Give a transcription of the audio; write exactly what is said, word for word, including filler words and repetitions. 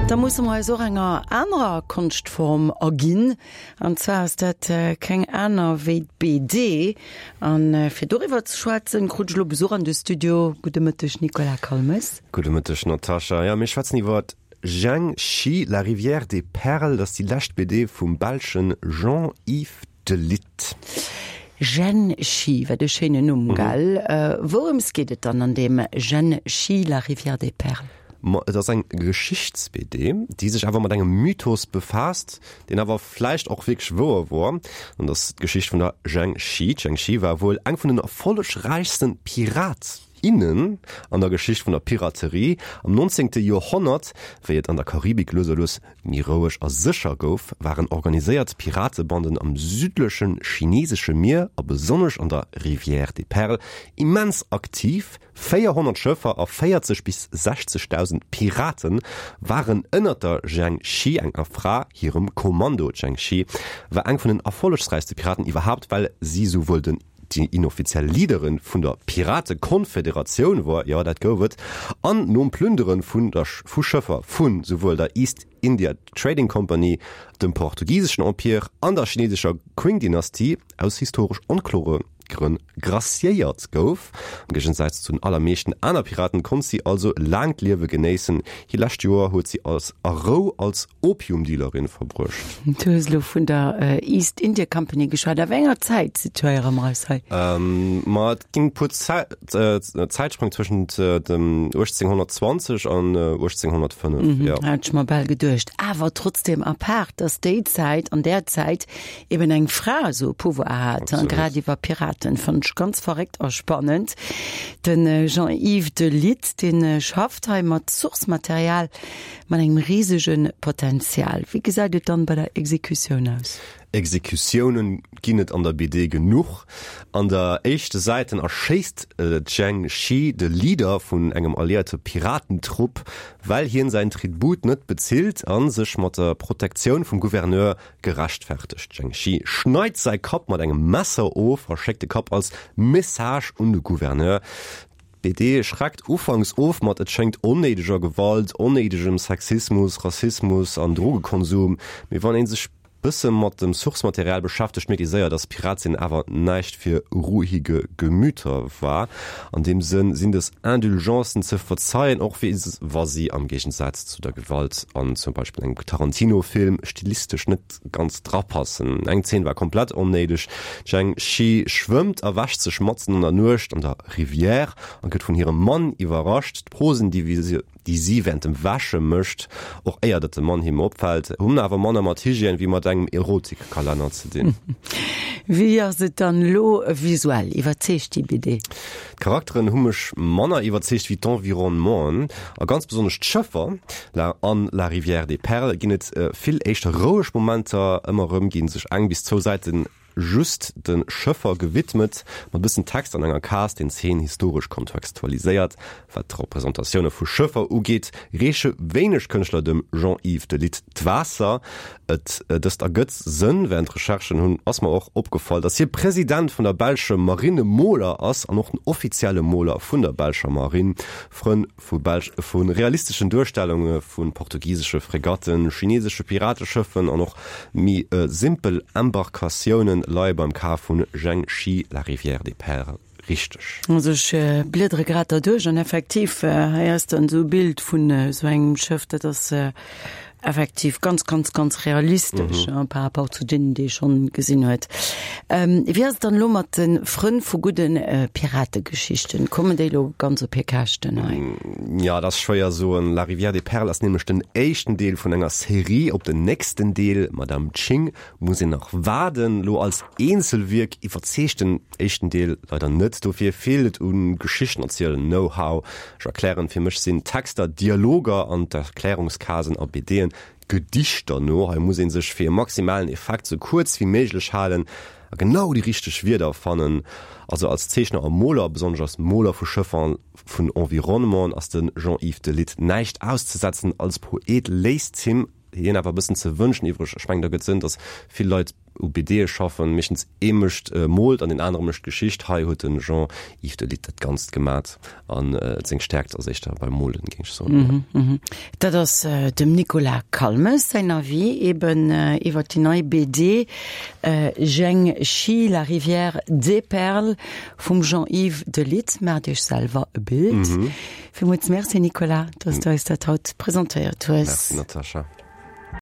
Da musse mer eis och enger anerer Konschtform erginn, an zwar ass dat keng aner wéi d'BD. An fir doriwwer ze schwätzen, krut ech elo Besuch an de Studio. Gudde Mëtteg Nicolas Calmes. Gudde Mëtteg Natascha. Jo, mir schwätzen iwwer Zheng Shi, La rivière des perles, dat ass déi lescht B D vum belschen Jean-Yves Delite. Zhen Shi, wat e schéinen Numm, gell? Wourëms geet et dann an deem Zhen Shi, La rivière des perles? Ma et ass eng Geschichts-B D, déi sech awer mat engem Mythos befaasst, deen awer vläicht och wierklech wouer wor. An dat ass d'Geschicht vun der Zheng Shi. D'Zheng Shi war wuel eng vun den erfollegräichsten Pirat, innen an der Geschicht vun der Piraterie. Am neunzehnte Joerhonnert, wéi et an der Karibik lues a lues méi roueg a sécher gouf, waren organiséiert Piratebanden am südleche chinesesche Mier a besonnesch an der Rivière des Perles immens aktiv. véierhonnert Schëffer a véierzeg bis sechzegdausend Pirate waren ënnert der Zheng Shi, enger Fra, hirem Kommando. D'Zheng Shi war eng vun den erfollegsräichste Piraten iwwerhaapt, well si souwuel den déi inoffiziell Leaderin vun der Piratekonfederatioun wor, jo dat gouf et, an nom Plündere vun der vu Schëffer vun souwuel der East India Trading Company, dem portugiseschen Empire an der chinesescher Qing-Dynastie aus historesch onklore Grënn graciéiert gouf. Am Géigensaz zu den allermeeschten aner Piraten konnt si also laangt Liewe genéissen. Hir lescht Joer huet si als a Rou als Opiumdealerin verbruecht. Du hues elo vun der East India Company geschwat. A wéi enger Zäit situéiere mer eis hei? Ma et ginn e puer Zäitspréng tëschent dem uechtzénghonnertzwanzeg an uechtzénghonnertfënnef, jo. Hat ech mer bal geduecht. Awer trotzdem apaart, dass déi Zäit, an där Zäit eben eng Fra esou e Pouvoir hat, grad iwwer Piraten, fannen ech ganz verréckt a spannend. De Jean-Yves Delite, dee schafft hei mat Source-Material mat engem risege Potenzial. Wéi gesäit et dann bei der Exekutioun aus? Exekutiounen ginn et an der B D genuch. An der éischte Säiten erschéisst d'Zheng Shi de Leader vun engem alliéierte Piratentrupp, well hien säin Tribut net bezilt a sech mat der Protektioun vum Gouverneur gerechtfertegt. D'Zheng Shi schneit säi Kapp mat engem Messer of a schéckt de Kapp als Message un de Gouverneur. D'B D schreckt ufanks of mat et schéngt onnéideger Gewalt, onnéidegem Sexismus, Rassismus an Drogekonsum, mee wann ee sech bësse mat dem Source-Material beschäftegt, mierkt ee séier, dass Pirat sinn awer näischt fir ruhige Gemüter war. An deem Sënn sinn dës Indulgencen ze verzeien, och wa si am Géigensaz zu der Gewalt an zum Beispill engem Tarantino-Film stilistesch net ganz drapassen. Eng Zeen war komplett onnéideg, D'Zheng Shi schwëmmt a wäscht sech matzen an der Nuecht an der Rivière a gëtt vun hirem Mann iwwerrascht. D'Posen, déi déi si während dem Wäsche mécht, och éier datt de Mann him opfält, hunn awer manner mat Hygiène wéi mat engem Erotikkalenner ze dinn. Wéi ass et dann elo visuell? Iwwerzeegt déi B D? D'Charakteren hu mech manner iwwerzeegt wéi d'Environnementen a ganz besonnesch d'Schëffer. La an La rivière des perles ginn et vill éischter roueg Momenter, ëmmer erëm gi sech eng bis zwou Säiten just de Schëffer gewidmet, mat bëssen Text an enger Case, deen d'Zeen historesch kontextualiséiert. Wat d'Representatioune vu Schëffer ugeet, reeche wéineg Kënschtler dem Jean-Yves Delite d'Waasser. Et dëst ergëtt Sënn, Während Recherchen hunn ass mer och opgefall, datt hie President vun der belsche Marinemoler ass an och den offizielle Moler vun der belscher Marinn. Frënn vu belsch vu realisteschen Duerstellunge vu portugisesche Fregatten, chinesesche Pirateschëffen an och méi simpel Embarkatiounen leie beim Kaf vun Zheng Shi, La rivière des perles richteg. Also ech bliedere grad derduerch an effektiv hei ass dann esou e Bild vun esou engem Schëff, dat ass effektiv ganz, ganz, ganz realistesch mhm. par rapport zu deenen, déi ee schonn gesinn huet. Ähm, wéi ass et dann elo mat de Frënn vu gudden äh, Pirategeschichten? Kommen déi lo ganz op hir Käschten hei? Mm, ja, dat ass schwéier soen. La Rivière des Perles ass nämlech den éischten Deel vun enger Serie. Op den nächsten Deel, Madame Ching, muss een nach waarden. Lo als Eenzelwierk iwwerzeegt den éischten Deel leider net. Dofir feelt et un Geschichten erzielen Know-how. Ech erklären, fir mech sinn Texter Dialoger an d'Erklärungscasen a B D'en Gedichter no. Hei muss ee sech fir e maximalen Effekt sou kuerz wéi méiglech halen a genau déi richteg Wierder fannen. Also als Zeechner a Moler, besonnesch als Moler vu Schëffer, vun Environnementen, ass de Jean-Yves Delite näischt auszesetzen. Als Poet léisst him hien awer e bëssen ze wënschen iwwreg. Ech mengen, da gëtt Sënn, datt vill Leit u BDe schaffen, meeschtens ee mécht moolt an deen anere mécht d'Geschicht. Hei huet de Jean-Yves Delite dat Ganzt gemat an seng Stäerkt ass éischter beim Molen, géing ech soen. Dat ass dem Nicolas Calmes säin Avis eben iwwer déi nei BD Zheng Shi, La rivière des perles vum Jean-Yves Delite. Maacht Iech selwer e Bild. Villmools Merci Nicolas, dass du eis dat haut presentéiert hues. Merci Natascha.